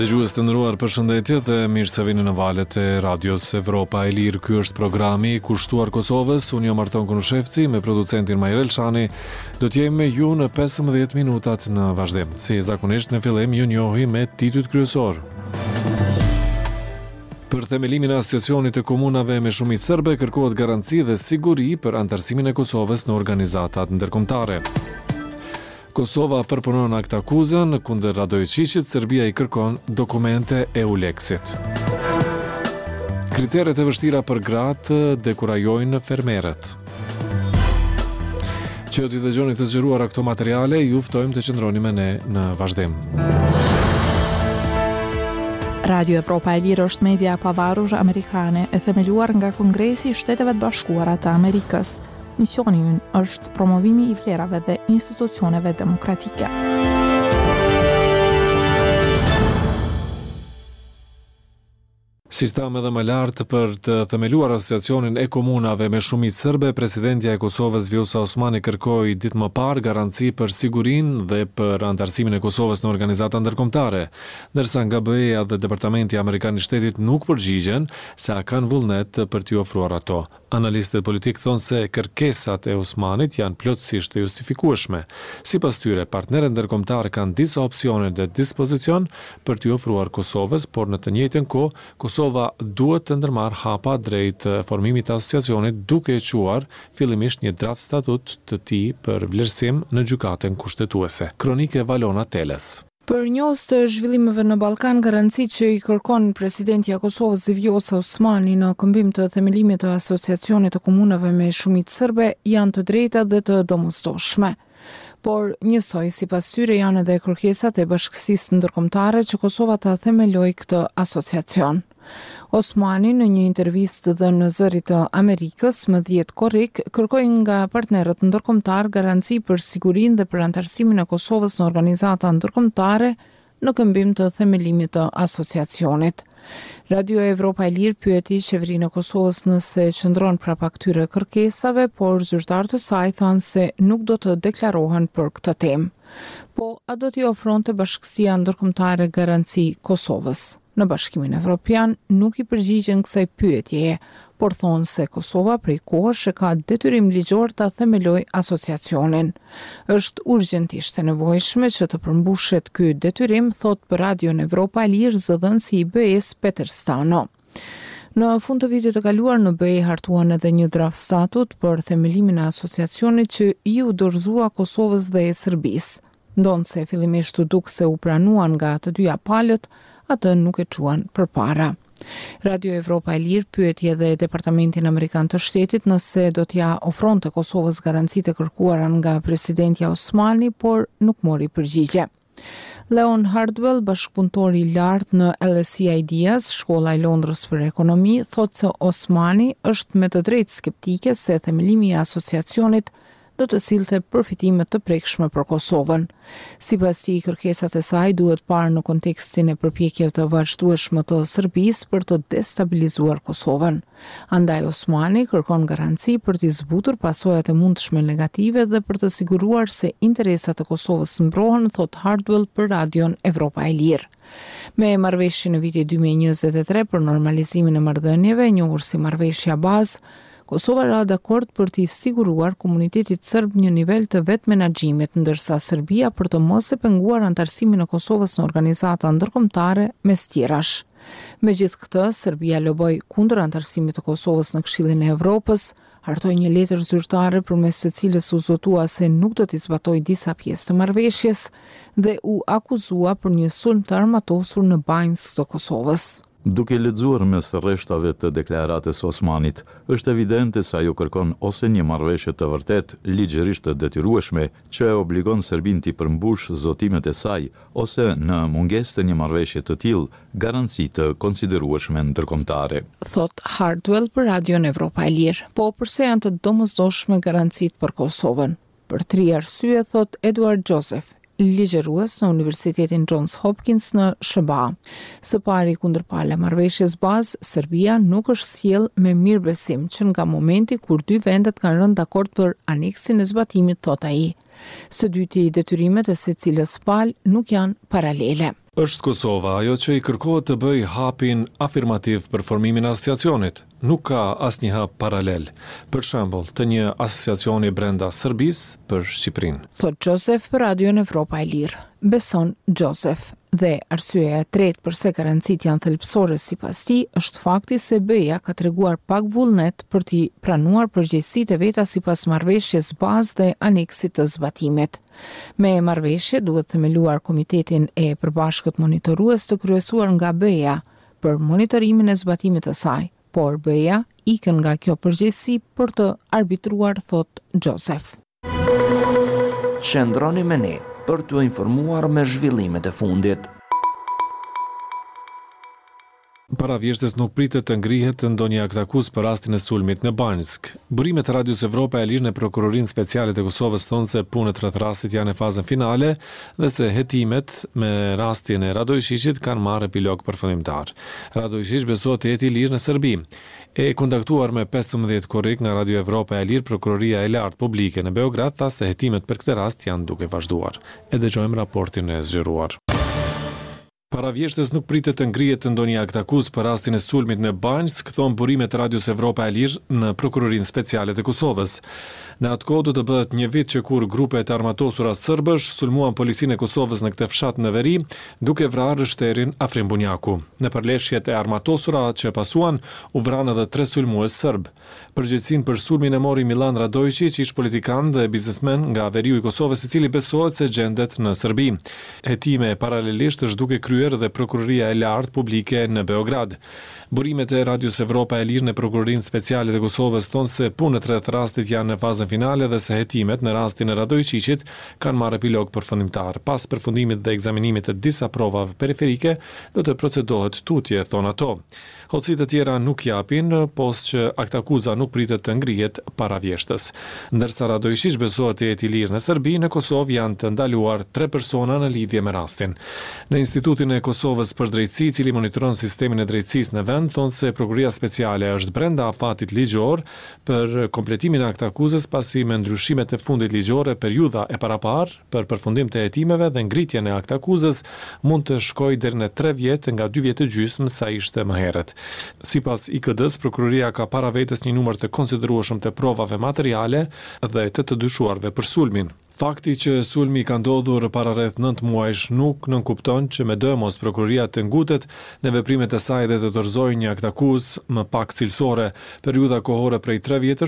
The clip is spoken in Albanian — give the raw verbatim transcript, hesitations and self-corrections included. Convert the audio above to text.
Dëgjues të nderuar, përshëndetje dhe mirë se vini në valët e Radios Evropa e Lirë. Ky është programi kushtuar Kosovës. Unë jam Arton Konushevci me producentin Majrel Shani. Do të jemi me ju në pesëmbëdhjetë minutat në vazhdim. Si zakonisht në fillim ju njohim me titujt kryesor. Për themelimin e Asociacionit të Komunave me shumicë serbe kërkohet garanci dhe siguri për anëtarësimin e Kosovës në organizatat ndërkombëtare. Kosova përpunon aktakuzën kundër Radojiçiqit, Serbia i kërkon dokumente EULEX-it. Kriteret e vështira për gratë dekurajojnë fermerët. Që t'i dëgjoni të zgjeruara këto materiale, ju ftojmë të qëndroni me ne në vazhdim. Radio Evropa e Lirë është media e pavarur amerikane e themeluar nga Kongresi i Shteteve të Bashkuara të Amerikës. Misioni ynë është promovimi i vlerave dhe institucioneve demokratike. Siç thamë edhe më lart, për të themeluar Asociacionin e Komunave me shumicë serbe, presidentja e Kosovës Vjosa Osmani kërkoi ditë më parë garanci për sigurinë dhe për anëtarësimin e Kosovës në organizata ndërkombëtare, ndërsa nga B E-ja dhe Departamenti Amerikan i Shtetit nuk përgjigjen se a kanë vullnet për t'i ofruar ato. Analistët politikë thonë se kërkesat e Osmanit janë plotësisht të justifikueshme. Sipas tyre, partnerët ndërkombëtarë kanë disa opsione në dispozicion për t'i ofruar Kosovës, por në të njëjtën kohë Kosova duhet të ndërmarrë hapa drejt formimit të asociacionit duke e çuar fillimisht një draft statut të tij për vlerësim në Gjykatën Kushtetuese. Kronikë e Valona Telës. Për njohës të zhvillimeve në Ballkan, garancitë që i kërkon presidentja e Kosovës Vjosa Osmani në këmbim të themelimit të Asociacionit të Komunave me shumicë serbe janë të drejta dhe të domosdoshme. Por, njësoj sipas tyre janë edhe kërkesat e bashkësisë ndërkombëtare që Kosova ta themelojë këtë asociacion. Osmani në një intervistë dhënë në Zërit të Amerikës më dhjetë korrik kërkoi nga partnerët ndërkombëtar garanci për sigurinë dhe për anëtarësimin e Kosovës në organizata ndërkombëtare në këmbim të themelimit të asociacionit. Radio Evropa e Lirë pyeti qeverinë e Kosovës nëse qëndron prapa këtyre kërkesave, por zyrtarët e saj thanë se nuk do të deklarohen për këtë temë. Po, a do t'i ofronte bashkësia ndërkombëtare garanci Kosovës? Në Bashkimin Evropian nuk i përgjigjen kësaj pyetjeje, por thonë se Kosova prej kohësh e ka detyrim ligjor ta themelojë asociacionin. Është urgjentisht e nevojshme që të përmbushet ky detyrim, thotë për Radion Evropa e Lirë zëdhënësi i B E-s Peter Stano. Në fund të vitit të kaluar në B E hartuan edhe një draft statut për themelimin e asociacionit që iu dorëzua Kosovës dhe Serbisë. Ndonëse fillimisht u duk se u pranuan nga të dyja palët, atë nuk e çuan përpara. Radio Evropa e Lirë pyeti edhe Departamentin Amerikan të Shtetit nëse do t'ja ofronte Kosovës garancitë e kërkuara nga presidentja Osmani, por nuk mori përgjigje. Leon Hardwell, bashkëpunëtor i lartë në L S E Ideas, shkolla e Londrës për ekonomi, thotë se Osmani është me të drejtë skeptike se themelimi i asociacionit do të sillte përfitime të prekshme për Kosovën. Sipas tij, kërkesat e saj duhet parë në kontekstin e përpjekjeve të vazhdueshme të Serbisë për të destabilizuar Kosovën. Andaj Osmani kërkon garanci për t'i zbutur pasojat e mundshme negative dhe për të siguruar se interesat e Kosovës mbrohen, thot Hardwell për Radion Evropa e Lirë. Me marrëveshjen e vitit dy mijë e njëzet e tre për normalizimin e marrëdhënieve, njohur si marrëveshja bazë, Kosova ra dakord për t'i siguruar komunitetit serb një nivel të vetëmenaxhimit, ndërsa Serbia për të mos e penguar anëtarësimin e Kosovës në organizata ndërkombëtare mes tjerash. Megjithë këtë, Serbia loboi kundër anëtarësimit të Kosovës në Këshillin e Evropës, hartoi një letër zyrtare përmes së cilës u zotua se nuk do t'i zbatojë disa pjesë të marrëveshjes dhe u akuzua për një sulm të armatosur në Banjskë të Kosovës. Duke lexuar mes rreshtave të deklaratës Osmanit, është evidente se ajo kërkon ose një marrëveshje të vërtetë ligjërisht të detyrueshme që e obligon Serbinë t'i përmbush zotimet e saj, ose në mungesë të një marrëveshje të tillë, garanci të konsiderueshme ndërkombëtare. Thot Hardwell për Radion Evropa e Lirë. Po përse janë të domosdoshme garancitë për Kosovën? Për tri arsye, thot Edward Joseph, ligjërues në Universitetin Johns Hopkins në S H B A. Së pari, kundërpala marrëveshjes bazë, Serbia, nuk është sjell me mirëbesim që nga momenti kur dy vendet kanë rënë dakord për aneksin e zbatimit, thot ai. Së dyti, detyrimet e secilës palë nuk janë paralele. Është Kosova ajo që i kërkohet të bëjë hapin afirmativ për formimin e asociacionit. Nuk ka asnjë hap paralel. Për shembull, të një asociacioni brenda Serbisë për Shqipërinë. Thotë Joseph për Radion Evropa e Lirë. Beson Joseph. Dhe arsyeja e tretë përse garancitë janë thelbësore sipas tij është fakti se B E-ja ka treguar pak vullnet për t'i pranuar përgjegjësitë e veta sipas marrëveshjes bazë dhe aneksit të zbatimit. Me marrëveshje duhet themeluar komitetin e përbashkët monitorues të kryesuar nga B E-ja për monitorimin e zbatimit të saj, por B E-ja ikën nga kjo përgjegjësi për të arbitruar, thot Joseph. Qëndroni me ne për t'u informuar me zhvillimet e fundit. Para vjeshtës nuk pritet të ngrihet ndonjë aktakuzë për rastin e sulmit në Banjskë. Burimet e Radios Evropa e Lirë në Prokurorinë Speciale të Kosovës thonë se punët rreth rastit janë në fazën finale dhe se hetimet me rastin e Radojçiqit kanë marrë epilog përfundimtar. Radojçiq besohet të jetë i lirë në Serbi. E kontaktuar me pesëmbëdhjetë korrik nga Radio Evropa e Lirë, Prokuroria e Lartë Publike në Beograd tha se hetimet për këtë rast janë duke vazhduar. E dëgjojmë raportin e zgjeruar. Para vjeshtës nuk pritet të ngrihet ndonjë aktakuzë për rastin e sulmit në Banjskë, thonë burimet e Radios Evropa e Lirë në Prokurorinë Speciale të Kosovës. Në atë kohë do të bëhet një vit që kur grupet e armatosura sërbësh sulmuan policinë e Kosovës në këtë fshat në veri, duke vrarë rreshterin Afrim Bunjaku. Në përleshjet e armatosura që pasuan, u vranë edhe tre sulmues sërb. Përgjegjësinë për sulmin e mori Milan Radojçiq, ish politikan dhe biznesmen nga veriu i Kosovës, i cili besohet se gjendet në Serbi. Hetime paralelisht është duke kryer dhe Prokuroria e Lartë Publike në Beograd. Burimet e Radios Evropa e Lirë në Prokurorinë Speciale të Kosovës thonë se punët rreth rastit janë në fazën finale dhe se hetimet në rastin e Radojçiqit kanë marrë epilog përfundimtar. Pas përfundimit dhe ekzaminimit të disa provave periferike, do të procedohet tutje, thonë ato. Hollësi të tjera nuk japin, pos që aktakuza nuk pritet të ngrihet para vjeshtës. Ndërsa Radojçiq besohet të jetë i lirë në Serbi, në Kosovë janë të ndaluar tre persona në lidhje me rastin. Në Institutin e Kosovës për Drejtësi, i cili monitoron sistemin e drejtësisë në vend, thonë se Prokuroria Speciale është brenda afatit ligjor për kompletimin e aktakuzës, pasi me ndryshimet e fundit ligjore periudha e paraparë për përfundim të hetimeve dhe ngritjen e aktakuzës mund të shkojë deri në tre vjet nga dy vjet e gjysmë sa ishte më herët. Sipas I K D-s, prokuroria ka para vetes një numër të konsiderueshëm të provave materiale dhe të të dyshuarve për sulmin. Fakti që sulmi ka ndodhur para rreth nëntë muajsh nuk nënkupton që me dëmos prokuroria të ngutet në veprimet e saj dhe të dorëzojë një aktakuzë më pak cilësore. Periudha kohore prej tre vjetësh